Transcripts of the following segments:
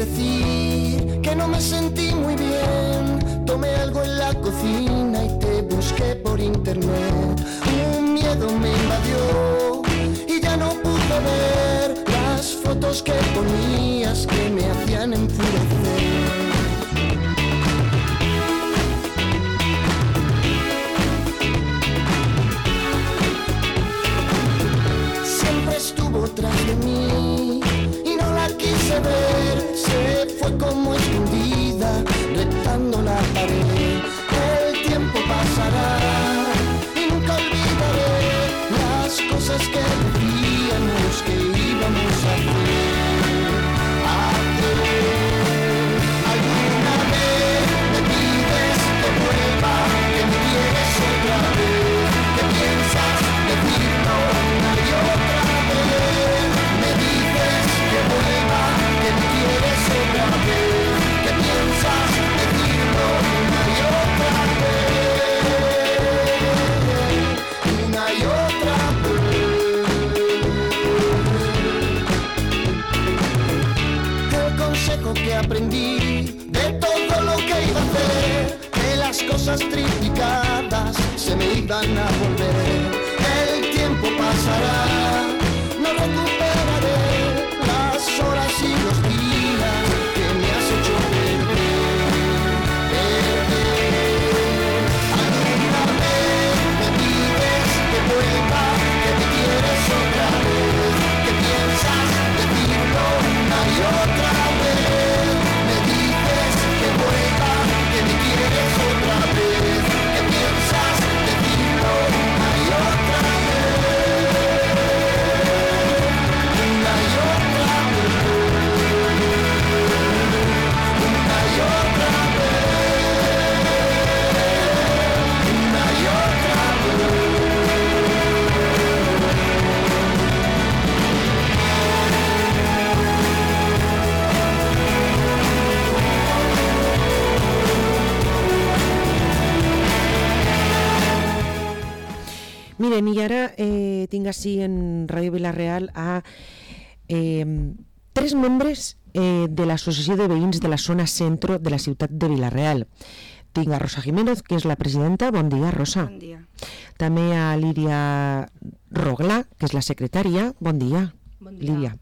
decir que no me sentí muy bien. Tomé algo en la cocina y te busqué por internet. Un miedo me invadió y ya no pude ver las fotos que ponías que me hacían enfurecer. Estuvo tras de mí y no la quise ver. Se fue como escondida, retando la pared. El tiempo pasará y nunca olvidaré las cosas que decíamos que íbamos a hacer. Alguna vez me pides que vuelva, que me quieres otra vez, que piensas decirlo una y otra vez. Me dices que vuelva, que me quieres otra vez, que piensas decirlo una y otra vez, una y otra vez. El consejo que aprendí de todo lo que iba a hacer, que las cosas triplicadas se me iban a volver. El tiempo pasará, no recuperaré las horas y los días que me has hecho perder. Alguna vez me pides que vuelva, que me quieres otra vez, que piensas decirlo una y otra vez. Me dices que vuelva, que me quieres otra vez, que piensas decirlo una y otra vez, una y otra vez, una y otra vez, una y otra vez. Miren, i ara tinc així en Ràdio Vila-real a 3 membres de l'Associació de Veïns de la Zona Centro de la ciutat de Vila-real. Tinc a Rosa Jiménez, que és la presidenta. Bon dia, Rosa. Bon dia. També a Lídia Roglà, que és la secretària. Bon dia, Bon dia. Lídia.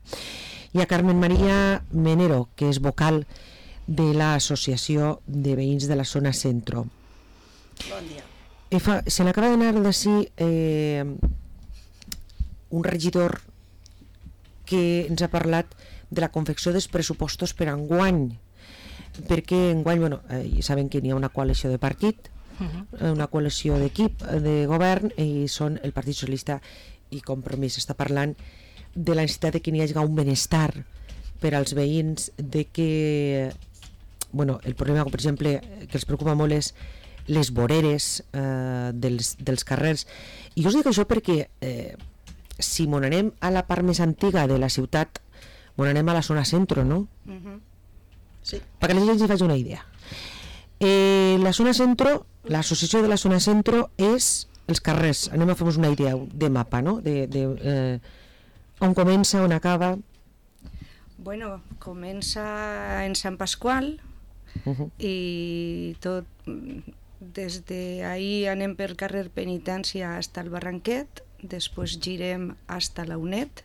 I a Carmen María Menero, que és vocal de l'Associació de Veïns de la Zona Centro. Bon dia. Se n'acaba d'anar d'ací un regidor que ens ha parlat de la confecció dels pressupostos per enguany, perquè enguany, saben que n'hi ha una coalició de partit, una coalició d'equip de govern, i són el Partit Socialista i Compromís. Està parlant de la necessitat de que n'hi hagi un benestar per als veïns, de que el problema, per exemple, que els preocupa molt és les voreres dels carrers. I jo us dic això perquè si mon anem a la part més antiga de la ciutat, mon anem a la zona centro, no? Sí. Perquè la gent s'hi faci una idea. La zona centro, l'associació de la zona centro és els carrers. Anem a fer-nos una idea de mapa, no? On comença, on acaba. Bueno, comença en Sant Pasqual i tot des d'ahir anem per carrer Penitència fins al Barranquet, després girem fins a la UNED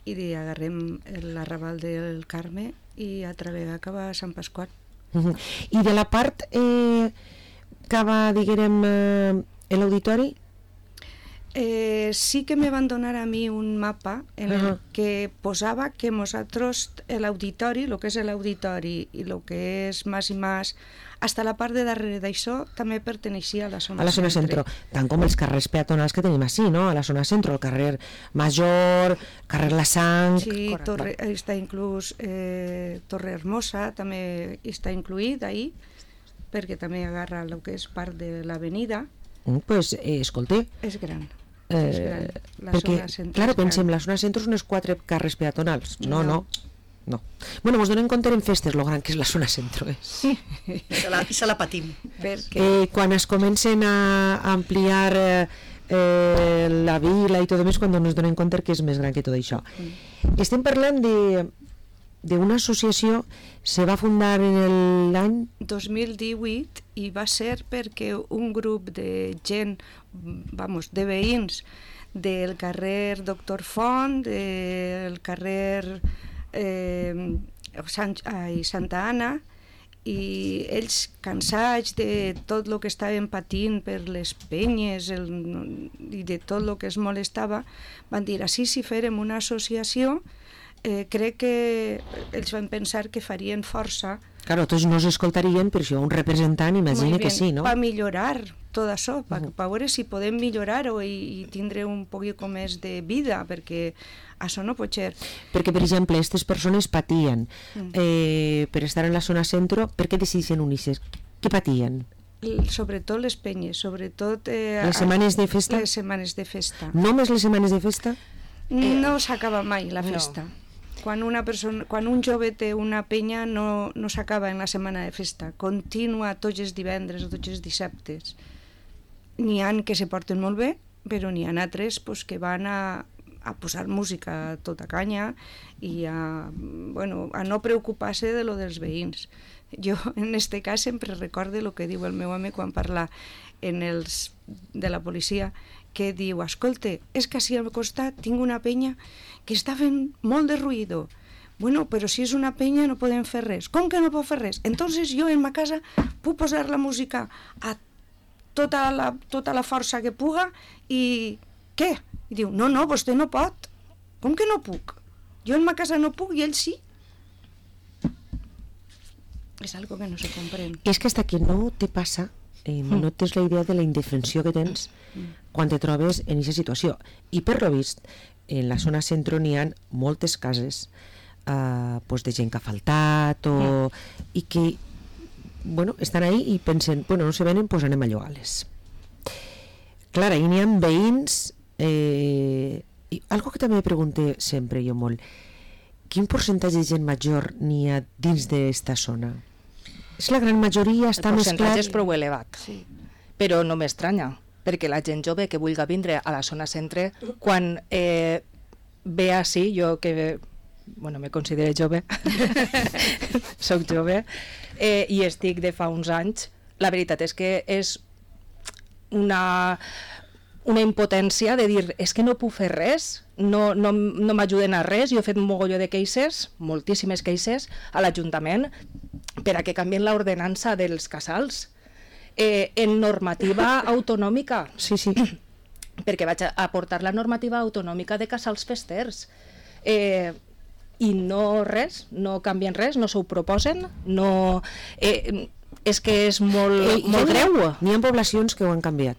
i agarrem l'arrabal del Carme i a través acaba a Sant Pasqual. I de la part que va, diguem, l'auditori? Sí que me van donar a mi un mapa en el que posava que nosaltres, l'auditori, el que és l'auditori i el que és més i més, hasta la part de darrere d'això també perteneixia a la zona centro. Tant com els carrers peatonals que tenim així, no? A la zona centro, el carrer Major, carrer La Sang... Sí, està inclús Torre Hermosa, també està incluït ahí, perquè també agarra el que és part de l'avenida. Pues, escolta... És gran. Perquè, clar, pensem, la zona centro són els 4 carrers peatonals. No. Bueno, mos donem compte en festes lo gran que és la zona centro. Se la patim. Quan es comencen a ampliar la vila i tot més, quan ens donem compte que és més gran que tot això. Estem parlant d'una associació se va fundar en l'any 2018 i va ser perquè un grup de gent, de veïns del carrer Doctor Font, del carrer Santa Anna, i ells, cansats de tot el que estaven patint per les penyes i de tot el que es molestava, van dir, així si fèrem una associació, crec que ells van pensar que farien força. Claro, tots no s'escoltarien, però això un representant imagina que sí, no? Per millorar tot això, per veure si podem millorar-ho i tindre un poquet més de vida, perquè això no pot ser. Perquè, per exemple, aquestes persones patien per estar en la zona centro. Per què decideixen unir-se? Què patien? Sobretot les penyes, sobretot... les setmanes de festa? Les setmanes de festa. Només les setmanes de festa? No s'acaba mai la festa. No. Quan un jove té una penya no s'acaba en la setmana de festa, continua tots els divendres o tots els dissabtes. N'hi ha que se porten molt bé, però n'hi ha altres que van a posar música a tota canya i a no preocupar-se de lo dels veïns. Jo en este cas sempre recorde el que diu el meu home quan parla de la policia, que diu, escolta, és que així al costat tinc una penya que està fent molt de ruïdo. Bueno, però si és una penya no podem fer res. Com que no pot fer res? Entonces jo en ma casa puc posar la música a tota la força que puga i què? I diu, no, vostè no pot. Com que no puc? Jo en ma casa no puc i ell sí. És algo que no se comprèn. És que hasta que no te passa, no tens la idea de la indefensió que tens quan te trobes en aquesta situació. I per lo vist, en la zona centro n'hi ha moltes cases de gent que ha faltat i que estan ahí i pensen, no se venen, doncs anem a llogar-les. Clar, ahí n'hi ha veïns i algo que també pregunto sempre jo molt, quin percentatge de gent major n'hi ha dins d'esta zona? És la gran majoria, està més clar... El percentatge és prou elevat, sí. Però no m'estranya, perquè la gent jove que vulgui vindre a la zona centre, quan ve així, jo que me considero jove, soc jove, i estic de fa uns anys, la veritat és que és una impotència de dir, és que no puc fer res, no m'ajuden a res. Jo he fet un mogolló de queixes, moltíssimes queixes, a l'Ajuntament per a que canvien l'ordenança dels casals en normativa autonòmica. Sí. Perquè vaig aportar la normativa autonòmica de casals festers. I no res, no canvien res, no s'ho proposen, no... és que és molt greu. N'hi ha poblacions que ho han canviat.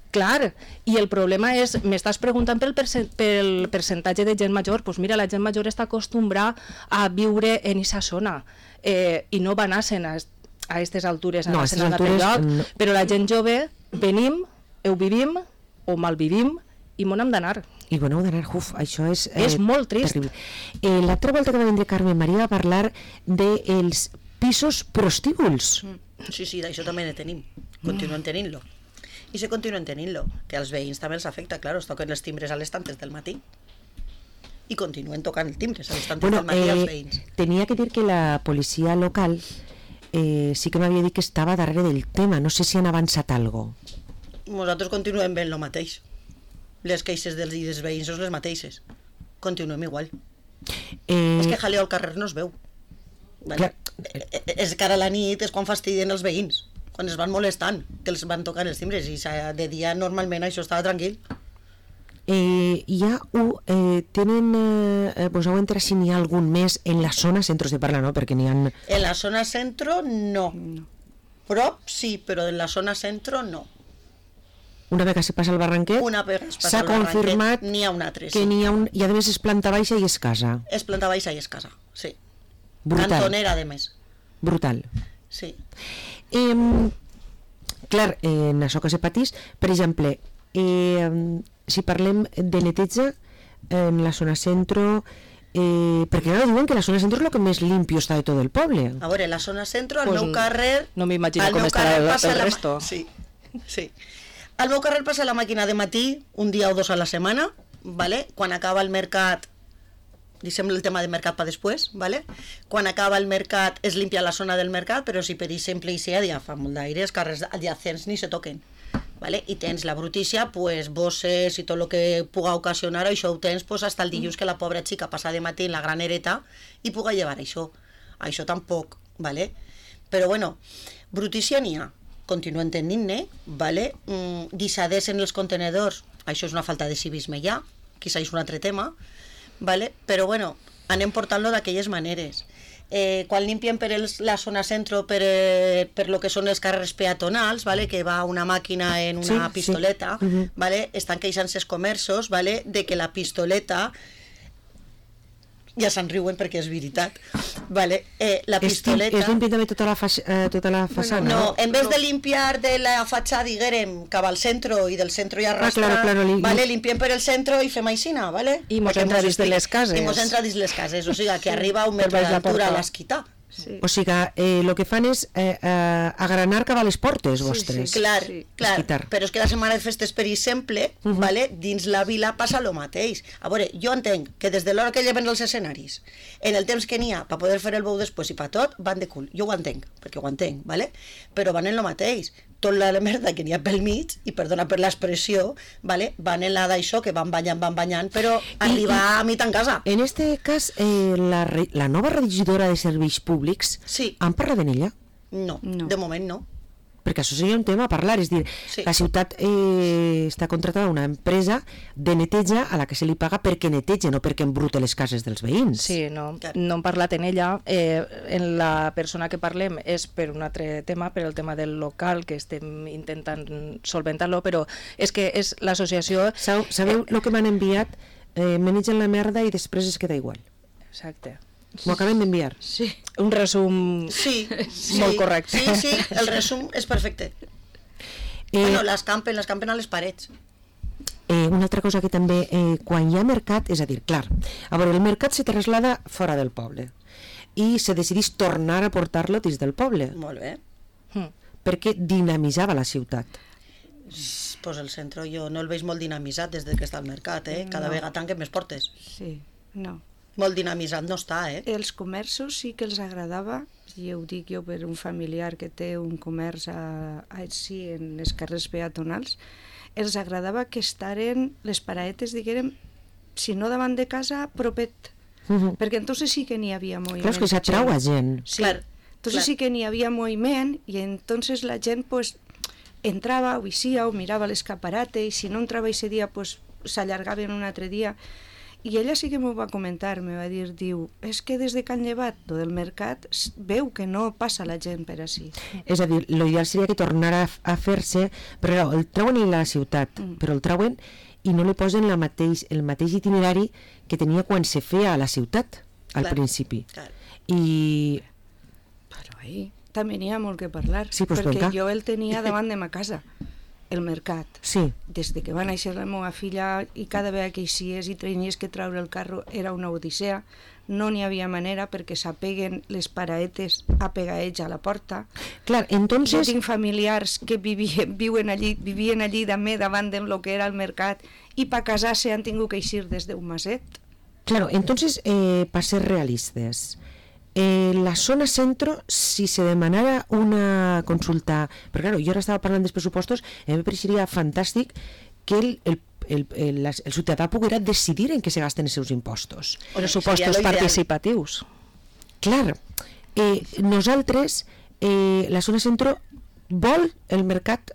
Clar, i el problema és, m'estàs preguntant pel percentatge de gent major, doncs mira, la gent major està acostumbrada a viure en aquesta zona i no va anar-se'n a aquestes altures, a anar-se'n a altre lloc, però la gent jove venim, ho vivim o malvivim i m'on hem d'anar. I bueno, d'anar, això és molt trist. Terrible. L'altra volta que va vindre Carmen Maria va parlar dels pisos prostíbuls. Sí, d'això també ne tenim, continuem tenint-lo. I se continuen tenint-lo, que als veïns també els afecta, clar, es toquen els timbres a les tantes del matí i continuen tocant els timbres a les tantes del matí als veïns. Tenia que dir que la policia local sí que m'havia dit que estava darrere del tema, no sé si han avançat alguna cosa. Nosaltres continuem veient el mateix, les queixes dels veïns són les mateixes, continuem igual. És que jaleo al carrer no es veu, és que ara a la nit és quan fastidien els veïns, quan es van molestant, que els van tocant els timbres, i de dia normalment això estava tranquil. Tenen, heu entrat si n'hi ha algun més en la zona centro de parla, no? Perquè n'hi ha... En la zona centro no. Prop sí, però en la zona centro no. Una vegada se passa al Barranquet, s'ha confirmat n'hi ha un altre, que n'hi ha un... I a més és planta baixa i és casa. És planta baixa i és casa, sí. Brutal. Cantonera, a més. Brutal. Sí. Clar, en això que se patís, per exemple, si parlem de neteja en la zona centro, perquè ara diuen que la zona centro és el que més limpio està de tot el poble. A veure, la zona centro, al meu carrer... No m'imagino com estarà el resto. Sí. Al meu carrer passa la màquina de matí, un dia o dos a la setmana, ¿vale? Quan acaba el mercat deixem el tema de mercat per després, ¿vale? Quan acaba el mercat es limpia la zona del mercat, però si per exemple hi ja fa molt d'aire, els carrers adjacents ni se toquen, ¿vale? I tens la brutícia, pues, bosses i tot el que puga ocasionar, això ho tens pues, hasta el dilluns que la pobra xica passa de matí en la granereta i puga llevar això. Això tampoc, ¿vale? Però bueno, brutícia n'hi ha, continuen tenint-ne, ¿vale? Guisades en els contenedors, això és una falta de civisme ja, quizá és un altre tema, ¿vale? Però bueno, anem portant-lo d'aquelles maneres. Quan limpien per la zona centro per lo que són els carrers peatonals, ¿vale? Que va una màquina en una pistoleta, ¿vale? Estan queixant-se els comerços, ¿vale? De que la pistoleta, ja se'n riuen perquè és veritat, ¿vale? La pistoleta... És limpia també tota la façana? No, en vez de limpiar de la fatxada, diguem, cap al centro i del centro i arrastrar, claro, ¿vale? Limpiem per el centro i fem aixina, ¿vale? I mos entra dins de les cases. I mos entra dins les cases, o sigui que arriba a un metre d'altura a l'esquità. Sí. O sigui, el que fan és agranar cap a les portes vostres. Clar, Esquitar. però és que la setmana de festes, per exemple, ¿vale? Dins la vila passa el mateix. A veure, jo entenc que des de l'hora que lleven els escenaris, en el temps que n'hi ha per poder fer el bou després i per tot, van de cul. Jo ho entenc, perquè ho entenc, ¿vale? Però van en el mateix. Tot la merda que n'hi ha pel mig, i perdona per l'expressió, ¿vale? Van en la d'això, que van banyant, però arribar a mitja en casa. En este cas, la nova regidora de serveis públics, Sí. han parlat en ella? No, No. de moment no. Perquè això seria un tema a parlar, és dir, Sí. la ciutat està contratada una empresa de neteja a la que se li paga perquè neteja, no perquè embrute les cases dels veïns. Sí, no Clar. hem parlat en ella. En la persona que parlem és per un altre tema, per el tema del local, que estem intentant solventar-lo, però és que és l'associació... Sabeu el que m'han enviat? Menegen la merda i després es queda igual. Exacte. M'ho acaben d'enviar. Sí. Un resum Sí, molt correcte. Sí, el resum és perfecte. Bueno, les campen a les parets. Una altra cosa que també, quan hi ha mercat, és a dir, clar, a veure, el mercat se traslada fora del poble i se decidís tornar a portar-lo dins del poble, Molt bé. perquè dinamitzava la ciutat. Pues el centre jo no el veig molt dinamitzat des que està al mercat, Cada vegada tanquen més portes. Sí, no. Molt dinamitzat no està, Els comerços sí que els agradava, i ho dic jo per un familiar que té un comerç així en els carrers peatonals, els agradava que estaren les paraetes, diguem, si no davant de casa, propet. Perquè entonces sí que n'hi havia moviment. Clar, és que s'atrau a gent. Sí. Clar, Entonces clar. sí que n'hi havia moviment i entonces la gent pues, entrava o eixia o mirava l'escaparate i si no entrava ese dia pues, s'allargaven un altre dia. I ella sí que m'ho va comentar, me va dir, diu, és que des de que han llevat tot el mercat veu que no passa la gent per així. És a dir, l'ideal seria que tornara a fer-se, però el treuen en la ciutat, però el treuen i no li posen el mateix itinerari que tenia quan se feia a la ciutat, al Clar, principi. clar. I Però ahí també n'hi ha molt que parlar, Sí, pues perquè vinga. jo el tenia davant de ma casa, el mercat. sí, Des de que va néixer la meva filla i cada vegada que eixies i tenies que treure el carro era una odissea, no n'hi havia manera perquè s'apeguen les paraetes a pegaells a la porta. clar, Jo entonces... tinc familiars que vivien allí també davant de lo que era el mercat i per casar-se han tingut que eixir des d'un maset. Claro, entonces, para ser realistas, la zona centro, si se demanara una consulta, pero claro, yo ahora estaba hablando de pressupostos, me parecería fantàstic que el ciutadà poguera decidir en què se gasten els seus impostos. Pressupostos seria lo ideal. participatius. Clar, nosaltres, la zona centro, vol el mercat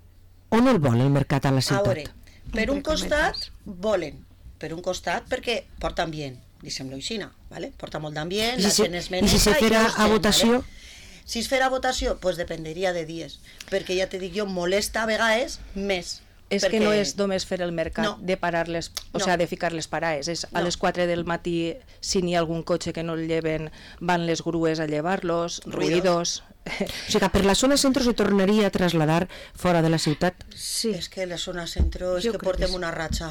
o no el vol el mercat a la A veure, ciutat? per un Entre costat cometes. volen, per un costat perquè porta ambient, deixem-lo així, ¿vale? Porta molt d'ambient, I la si gent es i menja si se fera a votació? ¿vale? Si es fera a votació, pues dependria de dies, perquè ja te dic jo, molesta a vegades més. És perquè... que no és només fer el mercat, No. de parar les, o No. sea, de ficar les paraes. És a No. les 4 del matí, si n'hi ha algun cotxe que no el lleven, van les grues a llevar-los, ruïdos... O sigui que per la zona centro se tornaria a trasladar fora de la ciutat. Sí, És que la zona centro és Jo que crec que portem sí. una ratxa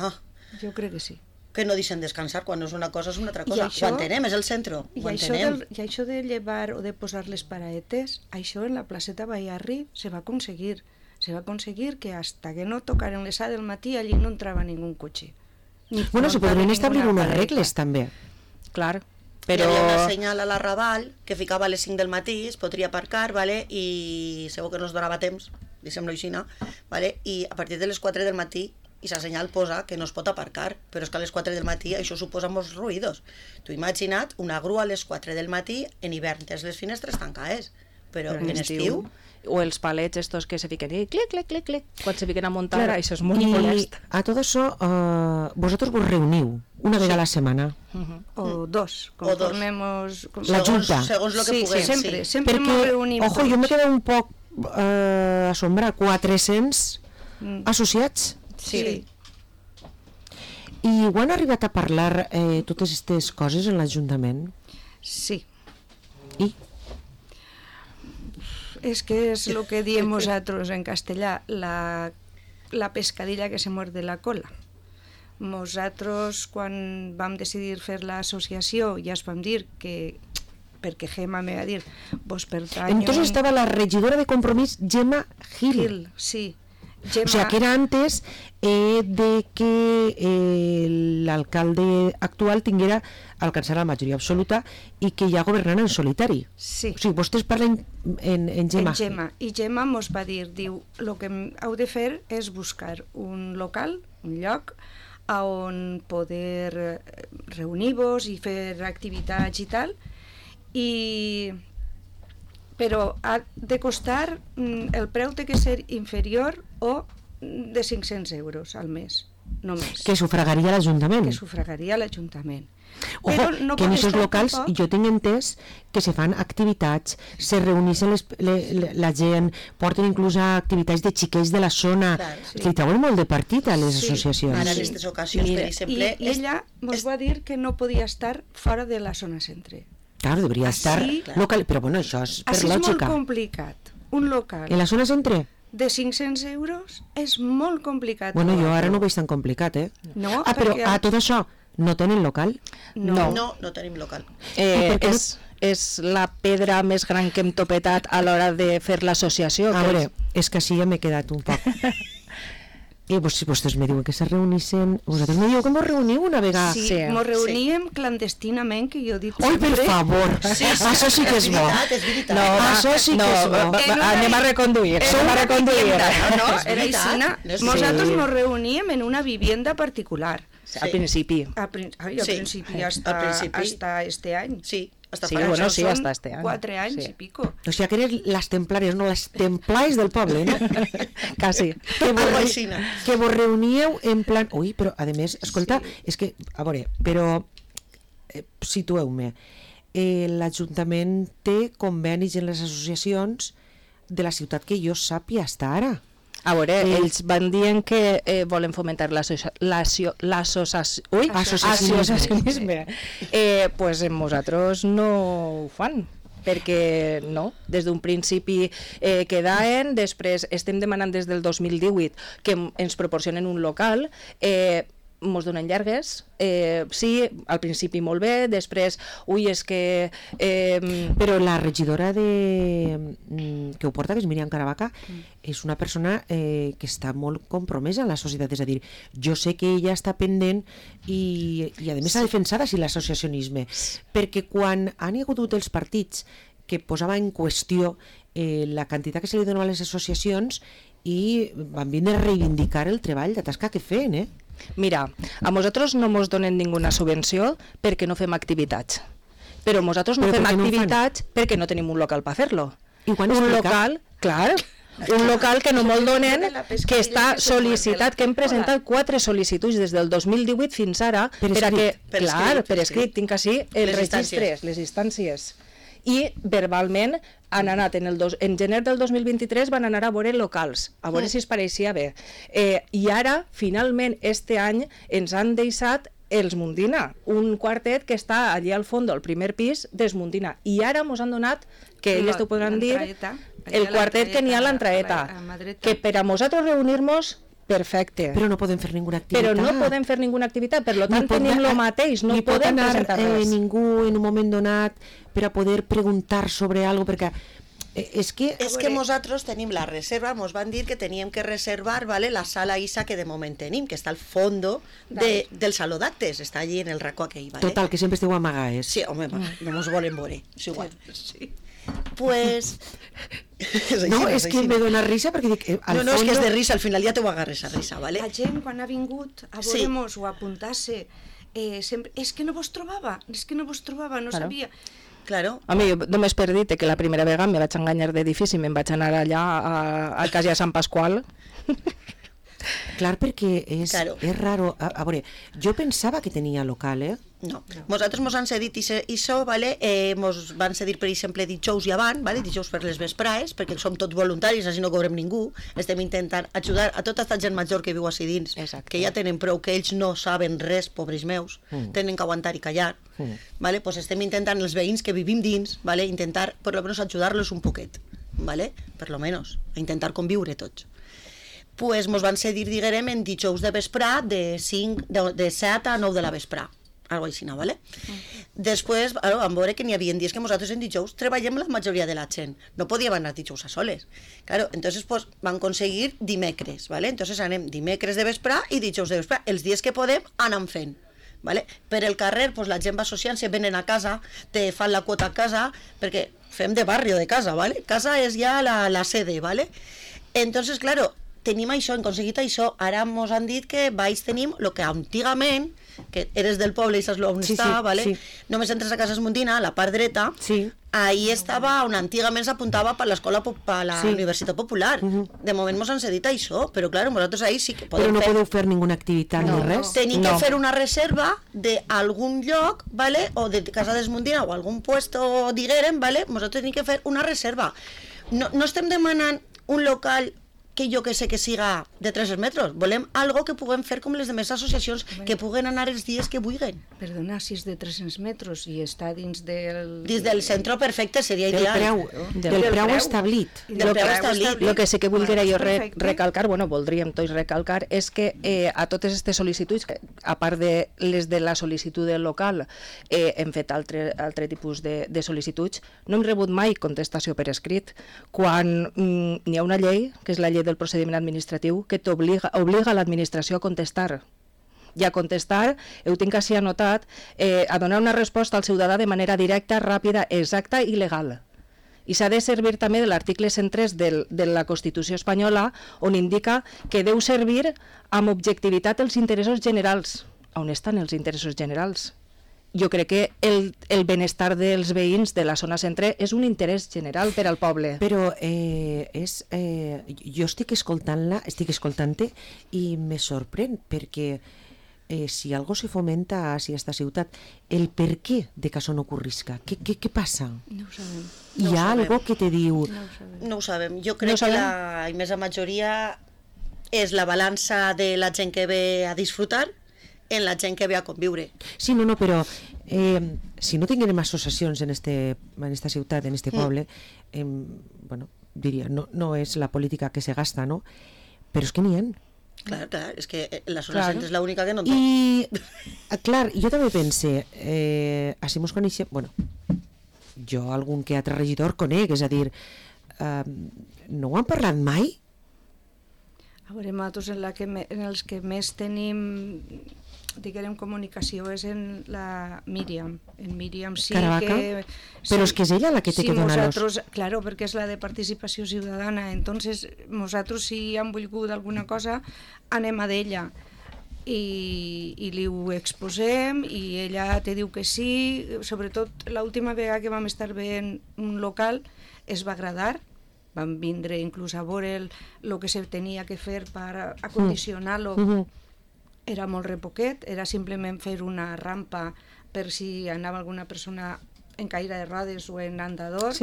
jo crec que sí. que no deixen descansar, quan no és una cosa és una altra cosa. això- Ho entenem, és el centre, I ho això, entenem. I això de llevar o de posar les paraetes, això en la placeta Bayarri se va aconseguir. Se va aconseguir que hasta que no tocaren les 7 del matí allí no entrava ningú cotxe. Ni Bueno, se montava podrien establir ninguna unes paraeta. regles també. clar. Però... Però... Hi havia una senyal a la Raval que ficava a les 5 del matí, es podria aparcar, vale? I segur que no es donava temps, diguem-lo així, vale? I a partir de les 4 del matí i la senyal posa que no es pot aparcar, però és que a les 4 del matí això suposa molts ruïdos. Tu imagina't una grua a les 4 del matí en hivern, tens les finestres tancades, però en estiu... O els palets estos que se fiquen i clic, clic, clic, clic, quan se fiquen a muntar, Claro, això és molt y molest. a todo eso, vosotros vos reuniu una vez a la semana. O dos, O dos. conformemos... La Junta. Segons el que Sí, puguem, sempre, sí. sempre ens Perquè, reunim ojo, jo tots. me quedo un poc assombrat, 400 associats. Sí. I ho han arribat a parlar totes aquestes coses en l'Ajuntament? Sí. I? Es que es lo que diem nosotros en castellà, la pescadilla que se muerde la cola. Nosaltres, quan vam decidir fer l'associació, ja es vam dir que, perquè Gemma me va dir, vos pertanyo... Entonces estaba la regidora de Compromís, Gemma Gil. Gil, sí. Gemma, O sea, que era antes de que l'alcalde actual tinguera alcançar la majoria absoluta i que ja governara en solitari. Sí. O sigui, vostès parlen en Gemma. en Gemma. I Gemma mos va dir, diu, el que heu de fer és buscar un local, un lloc, on poder reunir-vos i fer activitats i tal, però ha de costar, el preu té que ser inferior o de 500 euros al mes, només. Que sufragaria l'Ajuntament. Que sufragaria l'Ajuntament. Ojo, Però no que en pot aquests estar locals tampoc- jo tinc entès que se fan activitats, se reuneixen la gent, porten inclús a activitats de xiquets de la zona, Clar, sí. que li treuen molt de partit a les Sí. associacions. Ara en Sí. aquestes ocasions, Mira, per exemple... I ella mos va dir que no podia estar fora de la zona centre. Claro, debería estar Així- local, però bueno, això és per Així és molt lògica. complicat. Un local En la zona centre? de 500 euros és molt complicat. Bueno, jo trobar-lo. ara no ho veig tan complicat, eh? No, però perquè- a tot això no tenen local? No. No tenim local. I per què no- És la pedra més gran que hem topetat a l'hora de fer l'associació. A que veure, és que així ja m'he quedat un poc. I si vostès me diuen que se reunixen... Vosaltres me diu que mos reuniu una vegada. Sí, Sí. mos reuníem clandestinament, que jo dic Oi, per sempre. favor, això sí que és bo. És veritat. No, Això sí que és bo. Anem a reconduir. En una reconduir. vivienda, no? És Era veritat. aixina. No és Nosaltres veritat. nos reuníem en una vivienda particular. Al principi. Al Sí, principi hasta, al principi. hasta este any. Sí, hasta Sí, para bueno, això. sí, Són hasta este any. 4 anys Sí. i pico. O sigui que eres les templàries, no les templais del poble, no? Quasi. Algo aixina. Que vos reuníeu en plan... Ui, però a més, escolta, és que, a veure, però situeu-me. L'Ajuntament té convenis en les associacions de la ciutat que jo sàpia hasta ara. A veure, Sí. ells van dient que volen fomentar l'associacionisme. Pues nosaltres no ho fan, perquè no, des d'un principi quedaven, després estem demanant des del 2018 que ens proporcionen un local, mos donen llargues, sí, al principi molt bé, després, ui, és que... Però la regidora que ho porta, que és Míriam Caravaca, és una persona que està molt compromesa en la societat, és a dir, jo sé que ella està pendent i a més ha defensat així l'associacionisme, perquè quan han hi hagut els partits que posava en qüestió la quantitat que se li donava a les associacions i van vindre a reivindicar el treball de tasca que feien, Mira, a nosaltres no ens donen ninguna subvenció perquè no fem activitats. Però nosaltres no Però fem per què no ho fan? activitats perquè no tenim un local per fer-lo. I quan un explica? local, clar, un local que no me'l donen, que està sol·licitat, que hem presentat 4 sol·licituds des del 2018 fins ara, Per a escrit. que, Per clar, escrit, per per escrit, escrit. tinc així els Les registres, les instàncies. I verbalment han anat en gener del 2023 van anar a veure locals, a veure si es pareixia bé. I ara, finalment, este any ens han deixat els Mundina, un quartet que està allí al fons del primer pis dels Mundina. I ara ens han donat, que ells t'ho podran dir, l'entraeta, el quartet que n'hi ha a l'entraeta, a mà dreta. que per a nosaltres reunir-nos, perfecte. Però no podem fer ninguna activitat. Però no podem fer ninguna activitat, per lo Ni tant pot tenim anar- el mateix, no ni pot podem anar presentar res. ningú en un moment donat per a poder preguntar sobre algo, perquè És que... És que nosaltres tenim la reserva, ens van dir que teníem que reservar, ¿vale?, la sala ISA que de moment tenim, que està al fondo del saló d'actes, està allí en el racó aquell, ¿vale? Total, que sempre esteu amagades. Sí, home, no mos volen veure, és igual. Sí. Pues... No, és que me dona risa perquè dic... No, és que és de risa, al final ja t'ho agarres a risa, ¿vale? La gent, quan ha vingut a veure-nos o a apuntar-se, sempre, és que no vos trobava, no sabia. Claro. A mi, només per dir que la primera vegada me vaig enganyar d'edifici i me'n vaig anar allà a casa de Sant Pasqual. Clar, perquè és raro. A veure, jo pensava que tenia local, No. Nosaltres mos han cedit això, ¿vale? Mos van cedir, per exemple, dijous i avant, ¿vale? Dijous per les vesprades, perquè som tots voluntaris, així no cobrem ningú. Estem intentant ajudar a tota aquesta gent major que viu així dins, que ja tenen prou, que ells no saben res, pobres meus, tenen que aguantar i callar. ¿Vale? Pues estem intentant, els veïns que vivim dins, ¿vale?, intentar, per lo menos, ajudar-los un poquet, ¿vale? Per lo menos, a intentar conviure tots. Pues mos van cedir, diguem, en dijous de vesprà de 7 a 9 de la vesprà, algo així, ¿vale? Després vam veure que n'hi havia dies que nosaltres en dijous treballem la majoria de la gent, no podíem anar dijous a soles. Claro, entonces pues vam aconseguir dimecres, ¿vale? Entonces anem dimecres de vesprà i dijous de vesprà, els dies que podem anem fent. ¿Vale? Per el carrer pues, la gent va associant-se, venen a casa, te fan la quota a casa, perquè fem de barri de casa, ¿vale? Casa és ja la sede, ¿vale? Entonces, claro, tenim això, hem aconseguit això, ara mos han dit que baix tenim el que antigament, que eres del poble i saps on està, ¿vale? Sí. Només entres a Casa Esmondina, a la part dreta, ahí estava on antigament s'apuntava per l'escola, per la Universitat Popular. De moment mos han cedit això, però clar, nosaltres ahí sí que podem fer... Però no podeu fer ninguna activitat ni res? Tenim que fer una reserva d'algun lloc, ¿vale?, o de Casa d'Esmondina o algun puesto, diguem, ¿vale?, nosaltres tenim que fer una reserva. No estem demanant un local que jo que sé que siga de 300 metres. Volem algo que puguem fer com les demés associacions, que puguen anar els dies que vulguin. Perdona, si és de 300 metres i està dins del... Dins del centre perfecte seria ideal. Del preu establit. Del preu establit. El que sí que voldria jo recalcar, voldríem tots recalcar, és que a totes aquestes sol·licituds, a part de les de la sol·licitud del local, hem fet altre tipus de sol·licituds, no hem rebut mai contestació per escrit. Quan n'hi ha una llei, que és la llei del procediment administratiu, que obliga a l'administració a contestar. I a contestar, ho tinc així anotat, a donar una resposta al ciutadà de manera directa, ràpida, exacta i legal. I s'ha de servir també de l'article 103 de la Constitució espanyola, on indica que deu servir amb objectivitat els interessos generals. On estan els interessos generals? Jo crec que el benestar dels veïns de la zona centre és un interès general per al poble. Però jo estic escoltant-te i me sorprèn, perquè si algo se fomenta a aquesta ciutat, el per què de que això no ocorrisca? Què passa? No ho sabem. Hi ha algo que te diu... No ho sabem. Jo crec que la immensa majoria és la balança de la gent que ve a disfrutar en la gent que ve a conviure. Sí, no, però si no tinguérem associacions en esta ciutat, en este poble, bueno, diria, no és la política que se gasta, no? Però és que n'hi ha. Clar, és que la zona centre és l'única que no en té. I, clar, jo també pense, així mos coneixem, bueno, jo algun que altre regidor conec, és a dir, no ho han parlat mai? A veure, nosaltres en els que més tenim, diguem, comunicació és en la Míriam. En Míriam sí Caravaca? que... Però és que és ella la que té que donar-los. Claro, perquè és la de participació ciutadana. Entonces, nosaltres si hem volgut alguna cosa, anem a d'ella. I li ho exposem i ella te diu que sí. Sobretot, l'última vegada que vam estar veient un local es va agradar. Vam vindre inclús a veure el que se tenia que fer per acondicionar-lo. Era molt repoquet, era simplement fer una rampa per si anava alguna persona en caire de rodes o en andador.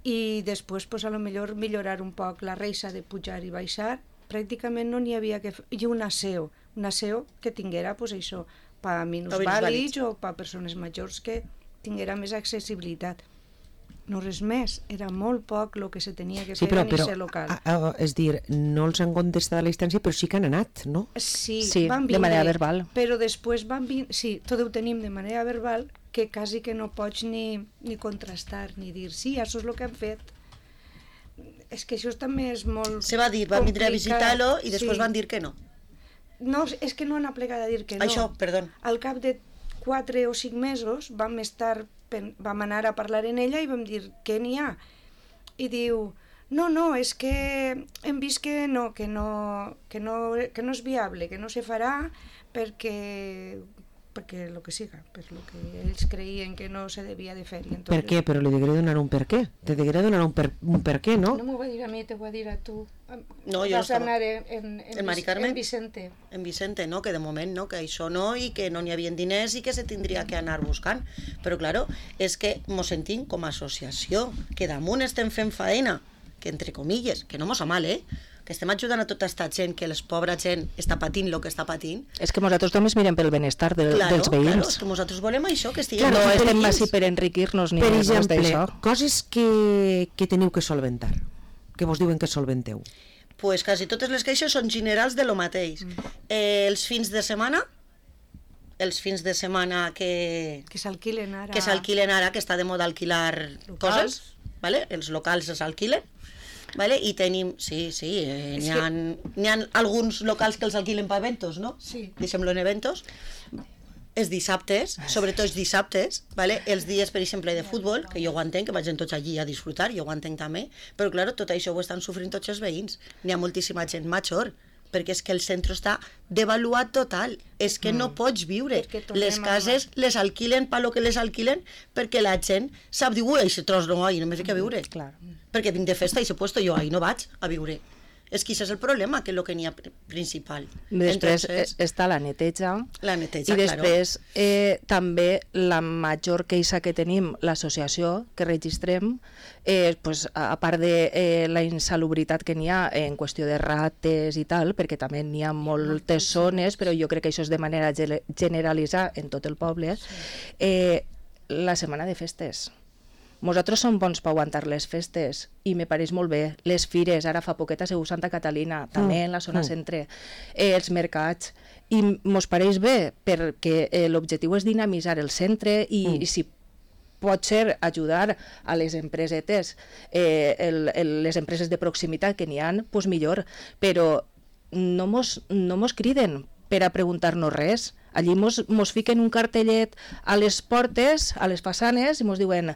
I després, a lo millor, millorar un poc la reixa de pujar i baixar. Pràcticament no n'hi havia que fer. I un aseo que tinguera, això, per minusvàlids o per persones majors que tinguera més accessibilitat. No res més, era molt poc el que se tenia que fer en aquest local. És dir, no els han contestat a la instància, però sí que han anat, no? Sí, van vindre, de manera verbal. Però després van vindre, sí, tot ho tenim de manera verbal, que quasi que no pots ni contrastar, ni dir, sí, això és el que han fet. és que això també és molt Se va dir, van vindre a complicat. visitar-lo i després Sí. van dir que no. No, és que no han aplegat a dir que no. Això, perdó. Al cap de 4 o 5 mesos vam anar a parlar en ella i vam dir què n'hi ha. I diu, no, és que hem vist que no és viable, que no se farà perquè el que siga, per lo que ells creien que no se devia de fer. Entonces, Per què? Però li degué donar un per què. Te degué donar un per què, no? No m'ho va dir a mi, te ho va dir a tu. No, jo Vas estava... anar en Mari Carmen? en Vicente. En Vicente, no? Que de moment no, que això no, i que no n'hi havia diners i que se tindria que anar buscant. Però, claro, és que mos sentim com a associació, que damunt estem fent faena, que entre comilles, que no mos fa mal, que estem ajudant a tota aquesta gent, que les pobra gent està patint el que està patint. És que nosaltres només mirem pel benestar dels Claro, veïns. és que nosaltres volem això, que estiguem... No Claro, estem per així per enriquir-nos ni Per res exemple, d'això. coses que teniu que solventar, que vos diuen que solventeu. Pues quasi totes les queixes són generals de lo mateix. Els fins de setmana que s'alquilen ara. que està de moda alquilar Locals. coses, ¿vale? Els locals es alquilen, ¿vale? I tenim, n'hi ha alguns locals que els alquilen per eventos, no? Sí. Deixem-lo en eventos. Els dissabtes, sobretot els dissabtes, ¿vale? Els dies, per exemple, de futbol, que jo ho entenc, que vagin tots allí a disfrutar, jo ho entenc també, però, clar, tot això ho estan sofrint tots els veïns. N'hi ha moltíssima gent major, perquè és que el centre està devaluat total. És que no pots viure. Les cases les alquilen per lo que les alquilen perquè la gent sap dir, ui, aquest tros no, ahí no me fica a viure. Clar. Perquè vinc de festa i s'he puesto jo, ahí no vaig a viure. És que això és el problema, que és el que n'hi ha principal. Després Entonces, està la neteja. La neteja, I després també la major queixa que tenim, l'associació que registrem, pues, a part de la insalubritat que n'hi ha en qüestió de rates i tal, perquè també n'hi ha moltes zones, però jo crec que això és de manera generalitzada en tot el poble, la setmana de festes. Nosaltres som bons per aguantar les festes i me pareix molt bé. Les fires, ara fa poquet a Segur Santa Catalina, també en la zona centre, els mercats, i mos pareix bé perquè l'objectiu és dinamitzar el centre i si pot ser ajudar a les empresetes, les empreses de proximitat que n'hi ha, doncs millor, però no mos criden per a preguntar-nos res. Allí mos fiquen un cartellet a les portes, a les façanes, i mos diuen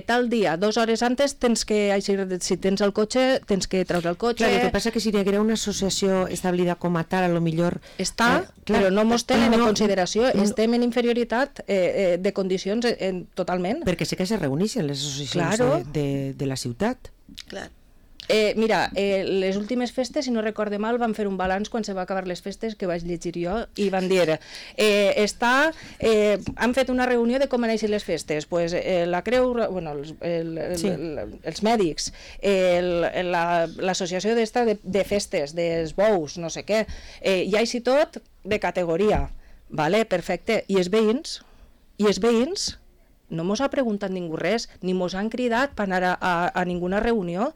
tal dia, 2 hores antes, si tens el cotxe, tens que treure el cotxe. Clar, el que passa que si hi haguera una associació establida com a tal, a lo millor... Està, però no mos tenen en consideració, estem en inferioritat de condicions totalment. Perquè sé que se reuneixen les associacions de la ciutat. clar. Mira, les últimes festes, si no recorde mal, van fer un balanç quan se va acabar les festes, que vaig llegir jo, i van dir han fet una reunió de com han eixit les festes, pues, la Creu, bueno, els mèdics, l'associació d'esta de festes, dels bous, no sé què, i així tot de categoria, vale, perfecte, i els veïns no mos ha preguntat ningú res, ni mos han cridat per anar a ninguna reunió.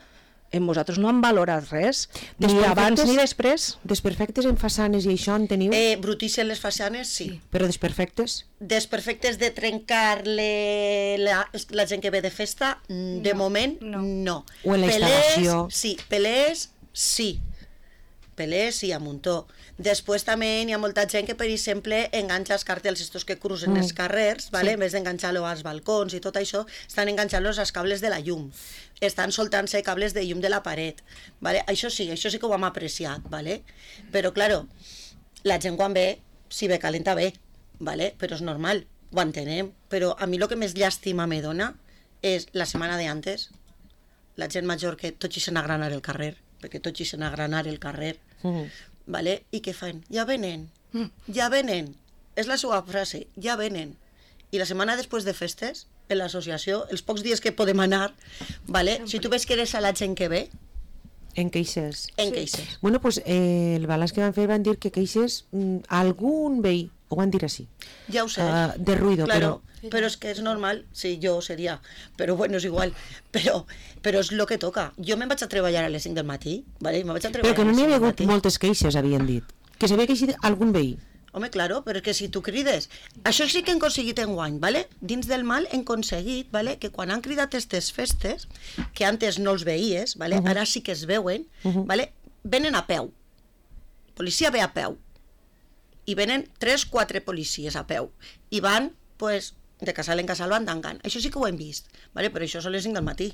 Nosaltres no hem valorat res, ni abans ni després. Desperfectes en façanes i això en teniu? Brutícies les façanes, sí. Però desperfectes? Desperfectes de trencar la gent que ve de festa, de moment, no. O en la instal·lació? Sí, pelés, sí. Pelés, sí, a muntó. Després també hi ha molta gent que, per exemple, enganxa els cartells estos que cruzen els carrers, ¿vale? En vez d'enganxar-los als balcons i tot això, estan enganxant-los als cables de la llum. Estan soltant-se cables de llum de la paret, ¿vale? Això sí que ho hem apreciat, ¿vale? Però, claro, la gent quan ve, si ve calenta bé, ¿vale? Però és normal, ho entenem. Però a mi el que més llàstima me dona és la setmana de antes, la gent major que tots ixen a granar el carrer, perquè tots ixen a granar el carrer, ¿vale? I què fan? Ja venen, és la seva frase, ja venen. I la setmana després de festes, en l'associació, els pocs dies que podem anar, ¿vale? Si tu ves que eres a la gent que ve, en queixes. Queixes. Bueno, pues el balanç que van fer van dir que queixes algun veí, ho van dir així. Ja ho sé. De ruido, claro, però és que és normal, sí, jo seria, però bueno, és igual, però és el que toca. Jo me'n vaig a treballar a les 5 del matí, ¿vale? Però que no n'hi havia hagut moltes queixes, havien dit. Que s'havia queixit algun veí. Home, claro, però és que si tu crides... Això sí que hem aconseguit enguany, ¿vale? Dins del mal hem aconseguit, ¿vale? Que quan han cridat aquestes festes, que antes no els veies, ¿vale? Ara sí que es veuen, ¿vale? Venen a peu. Policia ve a peu. I venen 3-4 policies a peu. I van, pues, de casal en casal van d'engant. Això sí que ho hem vist, ¿vale? Però això són les 5 del matí.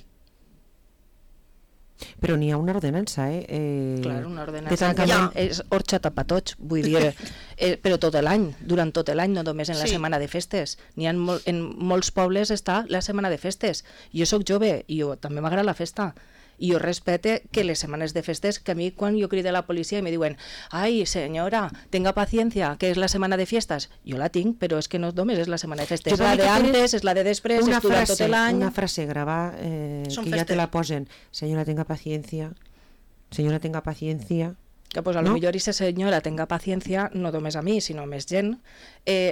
Però n'hi ha una ordenança, Clar, una ordenança que és orxa tapatoig, vull dir, però tot l'any, durant tot l'any, no només en la setmana de festes. N'hi ha en molts pobles està la setmana de festes. Jo sóc jove i també m'agrada la festa. I jo respecte que les setmanes de festes, que a mi quan jo crido a la policia i me diuen «Ai, senyora, tenga paciencia, que és la setmana de fiestas», jo la tinc, però és que no només és la setmana de festes, és la de antes, és la de després, és durant tot l'any. Una frase gravada que ja te la posen, «Senyora, tenga paciencia», «Senyora, tenga paciencia». Que pues, a lo millor aquesta senyora tenga paciencia, no només a mi, sinó més gent,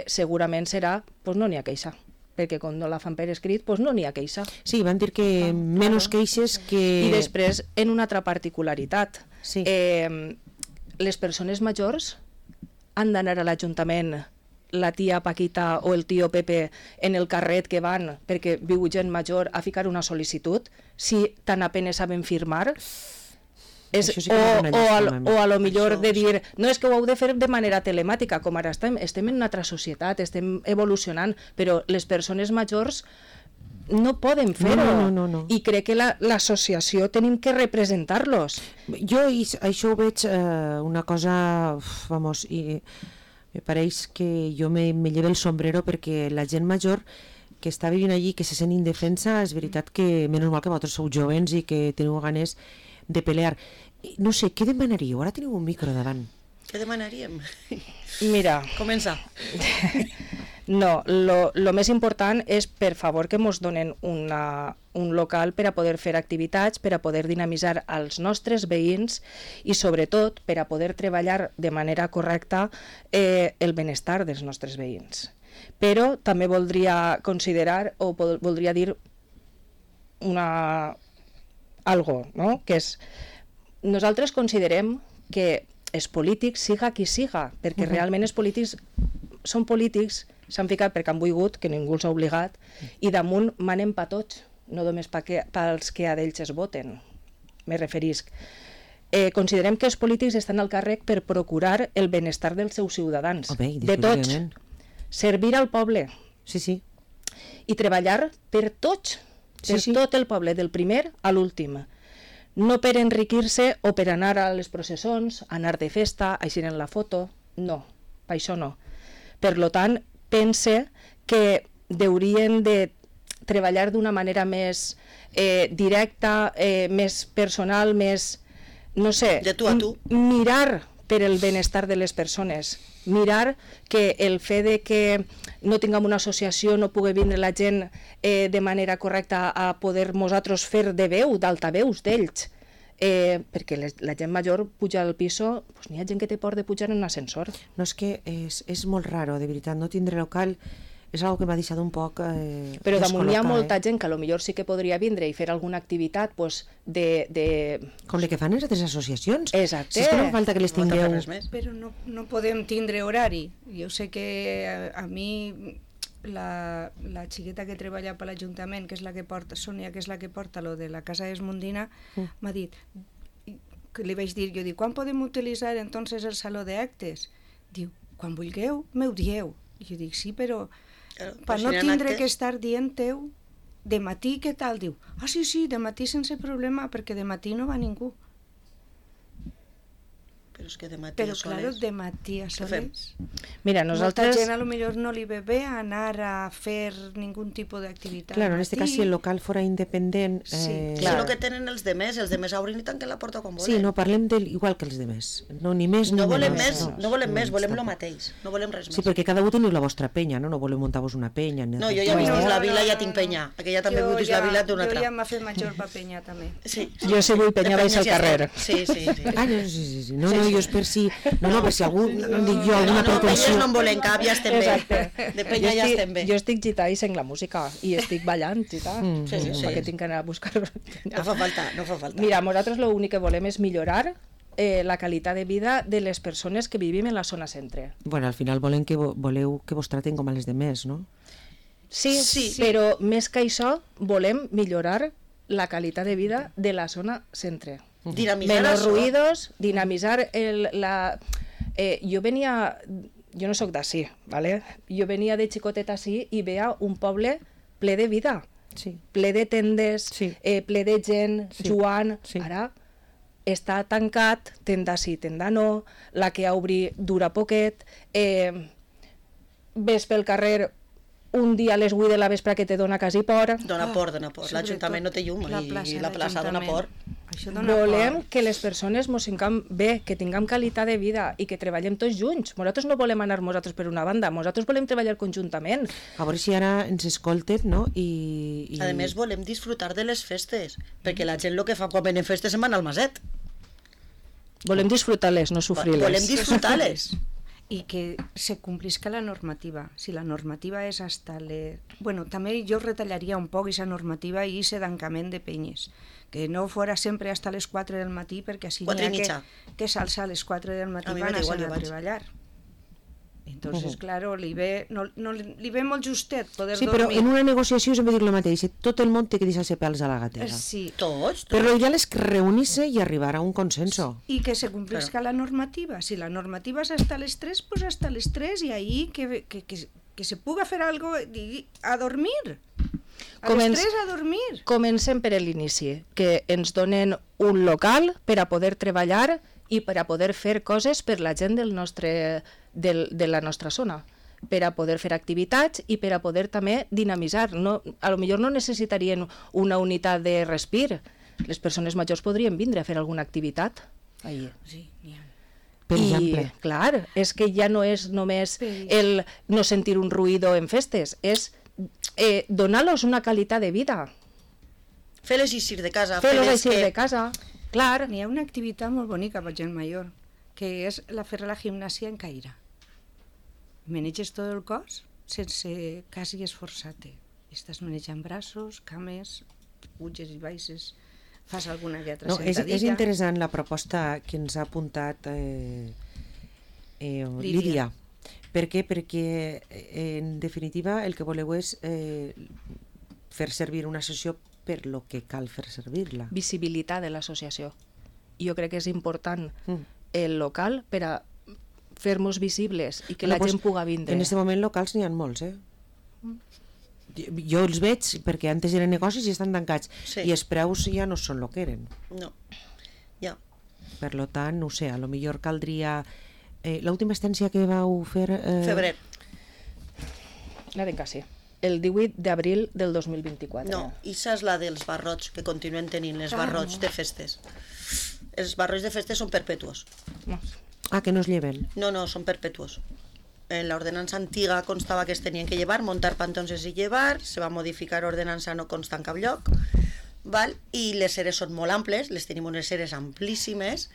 segurament serà, pues no n'hi ha queixa. Perquè quan no la fan per escrit, doncs no n'hi ha queixa. Sí, van dir que menys queixes que... I després, en una altra particularitat, les persones majors han d'anar a l'Ajuntament, la tia Paquita o el tio Pepe, en el carret que van, perquè viu gent major, a ficar una sol·licitud, si tan apenas saben firmar... o a lo millor de dir no, és que ho heu de fer de manera telemàtica, com ara estem en una altra societat, estem evolucionant, però les persones majors no poden fer-ho. No. I crec que l'associació tenim que representar-los. Jo això ho veig una cosa, vamos, i me pareix que jo me llevo el sombrero perquè la gent major que està vivint allí, que se sent indefensa, és veritat que menys mal que vosaltres sou jovens i que teniu ganes de pelear. No sé, què demanaríeu? Ara teniu un micro davant. Què demanaríem? Mira. Comença. No, lo més important és, per favor, que ens donen un local per a poder fer activitats, per a poder dinamitzar els nostres veïns i, sobretot, per a poder treballar de manera correcta el benestar dels nostres veïns. Però també voldria considerar o voldria dir algo, no? Que és, nosaltres considerem que els polítics, siga qui siga, perquè realment els polítics són polítics, s'han ficat perquè han volgut, que ningú els ha obligat, i damunt manen pa tots, no només pels que a d'ells es voten, me referisc. Considerem que els polítics estan al càrrec per procurar el benestar dels seus ciutadans, de tots, servir al poble, sí. I treballar per tots, per tot el poble, del primer a l'últim. No per enriquir-se o per anar a les processons, anar de festa, així en la foto, no, per això no. Per tant, pense que haurien de treballar d'una manera més directa, més personal, més, no sé, de tu a tu. Mirar per el benestar de les persones, mirar que el fet de que no tinguem una associació, no pugui vindre la gent de manera correcta a poder nosaltres fer de veu, d'altaveus d'ells, perquè la gent major puja al piso, doncs n'hi ha gent que té por de pujar en un ascensor. No, és que és molt raro, de veritat, no tindre local és una que m'ha deixat un poc però damunt hi ha molta gent que potser sí que podria vindre i fer alguna activitat de... Com el que fan les altres associacions. Exacte. Si és que no falta que les tingueu... Però no podem tindre horari. Jo sé que a mi la xiqueta que treballa per l'Ajuntament, que és la que porta, Sònia, que és la que porta lo de la Casa Esmondina, m'ha dit, que li vaig dir, jo dic, quan podem utilitzar entonces el saló d'actes? Diu, quan vulgueu, m'ho dieu. Jo dic, sí, però per no tindre que estar dient-teu de matí, què tal? Diu, sí, de matí sense problema, perquè de matí no va ningú. Però és que de matí però, a soles... Però, de matí a soles... Mira, nosaltres... Molta gent a lo millor no li ve bé anar a fer ningun tipus d'activitat. Claro, en este cas, si el local fora independent... Sí, claro. És el que tenen els demés obrin i tanquen la porta quan volen. Sí, no, parlem igual que els demés. No, ni més ni menys. No volem més, volem el mateix. No volem res més. Sí, perquè cada un teniu la vostra penya, no voleu muntar-vos una penya. No, jo ja he vist la vila, ja tinc penya. Aquella també vull vist la vila d'una altra. Jo ja m'ha fet major pa penya, també. Jo si vull penya vaig al carrer. Sí. Sí. No, jo és per si... No, per si algú, dic jo, alguna pretensió... No en volem cap, ja estem bé. De penya ja estem bé. Jo estic gità i sent la música, i estic ballant gità. Sí. Perquè tinc que anar a buscar... No fa falta. Mira, nosaltres l'únic que volem és millorar la qualitat de vida de les persones que vivim en la zona centre. Bueno, al final voleu que vos traten com a les de més, no? Sí, Sí. però més que això volem millorar la qualitat de vida de la zona centre. Dinamitzar Menos això. ruïdos, dinamitzar jo no sóc d'ací, ¿vale? Jo venia de xicoteta ací i veia un poble ple de vida, Sí. ple de tendes, Sí. ple de gent, Sí. jugant. Sí. Ara està tancat, tenda sí, tenda no, la que obri dura poquet, ves pel carrer un dia a les 8 de la vespre que te dona quasi por. Dona por. L'Ajuntament no té llum i la plaça dona por. Això dona Volem por. que les persones mos sentăm bé, que tinguem qualitat de vida i que treballem tots junts. Nosaltres no volem anar nosaltres per una banda, nosaltres volem treballar conjuntament. A veure si ara ens escolten, no? I... A més, volem disfrutar de les festes, perquè la gent el que fa quan venen festes se'n van al maset. Volem disfrutar-les, no sofrir-les. Volem disfrutar-les. I que se complisca la normativa. Si la normativa és hasta Bueno, també jo retallaria un poc aquesta normativa i aquest tancament de penyes. Que no fora sempre hasta les 4 del matí, perquè així 4 i n'hi ha mitja. que s'alça a les 4 del matí A mi van m'és a igual, anar jo a vaig. treballar. Entonces, claro, li ve molt justet poder Sí, però dormir. en una negociació sempre dic el mateix. Tot el món té que deixar-se pèls a la gatera. Sí, Tots. Però l'ideal és que reunir-se i arribar a un consenso. i que se complisca la normativa. Si la normativa és hasta les 3, pues hasta les 3 i ahí que se puga fer algo a dormir. A les 3 a dormir. Comencem per l'inici, que ens donen un local per a poder treballar i per a poder fer coses per la gent de la nostra zona, per a poder fer activitats i per a poder també dinamitzar. No, a lo millor no necessitarien una unitat de respir. Les persones majors podrien vindre a fer alguna activitat. Ahí. Sí, n'hi ha. Per I, exemple. clar, és que ja no és només el no sentir un ruïdo en festes, és donar-los una qualitat de vida, Fer-les eixir de casa. fer-los fer-les eixir que- de casa. Clar, N'hi ha una activitat molt bonica per gent major, que és fer la gimnàsia en caire. Maneges tot el cos sense quasi esforçar-te. Estàs manejant braços, cames, puges i baixes, fas alguna que altra No, és sentadilla. interessant la proposta que ens ha apuntat Lídia. Per què? Perquè, en definitiva, el que voleu és fer servir una sessió per lo que cal fer servir-la. visibilitat de l'associació. Jo crec que és important Mm. el local per a fer-nos visibles i que Bueno, la pues, gent puga vindre. En aquest moment locals n'hi ha molts, Jo els veig perquè antes eren negocis i estan tancats. Sí. I els preus ja no són el que eren. No. Ja. Per lo tant, no ho sé, a lo millor caldria... L'última estència que vau fer... Febrer. La de quasi. El 18 d'abril del 2024. No, això és la dels barrots, que continuen tenint les barrots de festes. Els barrots de festes són perpetuos. No. Ah, que no es lleven. No, són perpetuos. En la ordenança antiga constava que es tenien que llevar, montar pantons i llevar, se va modificar ordenança, no consta en cap lloc, val? I les eres són molt amples, les tenim unes eres amplíssimes,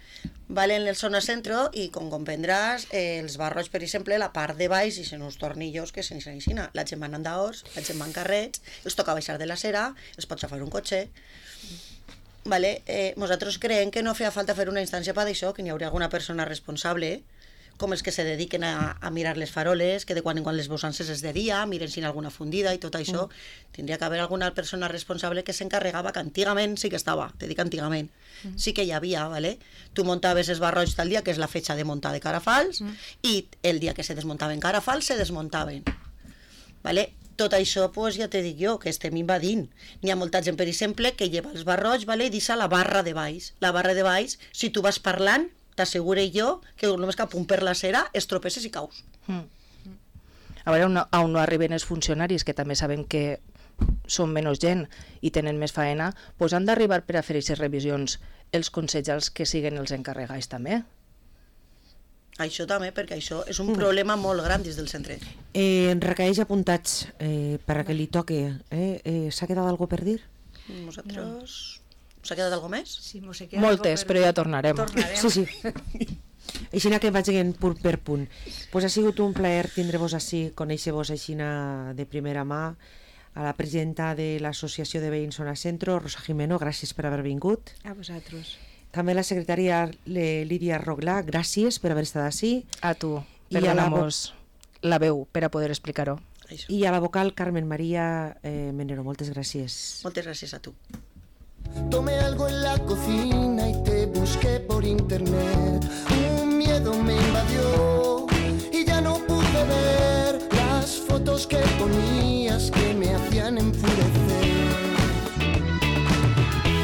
val? En el zona centro, i com comprendràs, els barrots, per exemple, la part de baix, i són uns tornillos que se'n aixina. La gent va en andaors, la gent va en carrets, els toca baixar de la cera, els pot xafar un cotxe. Vale? Nosaltres creiem que no feia falta fer una instància per això, que n'hi hauria alguna persona responsable, com els que se dediquen a mirar les faroles, que de quan en quan les bosances és de dia, miren si hi ha alguna fundida i tot això. Tindria que haver alguna persona responsable que s'encarregava, que antigament sí que estava, te dic antigament, sí que hi havia, ¿vale? Tu muntaves els barrots tal dia, que és la fetxa de muntar de carafals, i el dia que se desmuntaven carafals, se desmuntaven. ¿Vale? Tot això, pues, ja te dic jo, que estem invadint. N'hi ha molta gent, per exemple, que lleva els barrots, ¿vale? I deixa la barra de baix. La barra de baix, si tu vas parlant, t'assegure jo que només cap un per la cera es tropesses i caus. A veure on no arriben els funcionaris, que també sabem que són menys gent i tenen més faena, doncs han d'arribar per a fer aquestes revisions els consellers que siguen els encarregats també. Això també, perquè això és un problema molt gran dins del centre. Recaeix apuntats per a que li toque. S'ha quedat algo per dir? Nosaltres... S'ha quedat alguna més? Sí, mos se queda Moltes, algo per però dir. ja tornarem. Sí, sí. Així que vagin punt per punt. Pues ha sigut un plaer tindre-vos així, conèixer-vos així de primera mà, a la presidenta de l'Associació de Veïns Zona Centro, Rosa Jimeno, gràcies per haver vingut. A vosaltres. També la secretària Lídia Roglà, gràcies per haver estat així. A tu, I a la perdonamos la veu per a poder explicar-ho. Això. I a la vocal Carmen María Menero, moltes gràcies. Moltes gràcies a tu. Tomé algo en la cocina y te busqué por internet. Un miedo me invadió.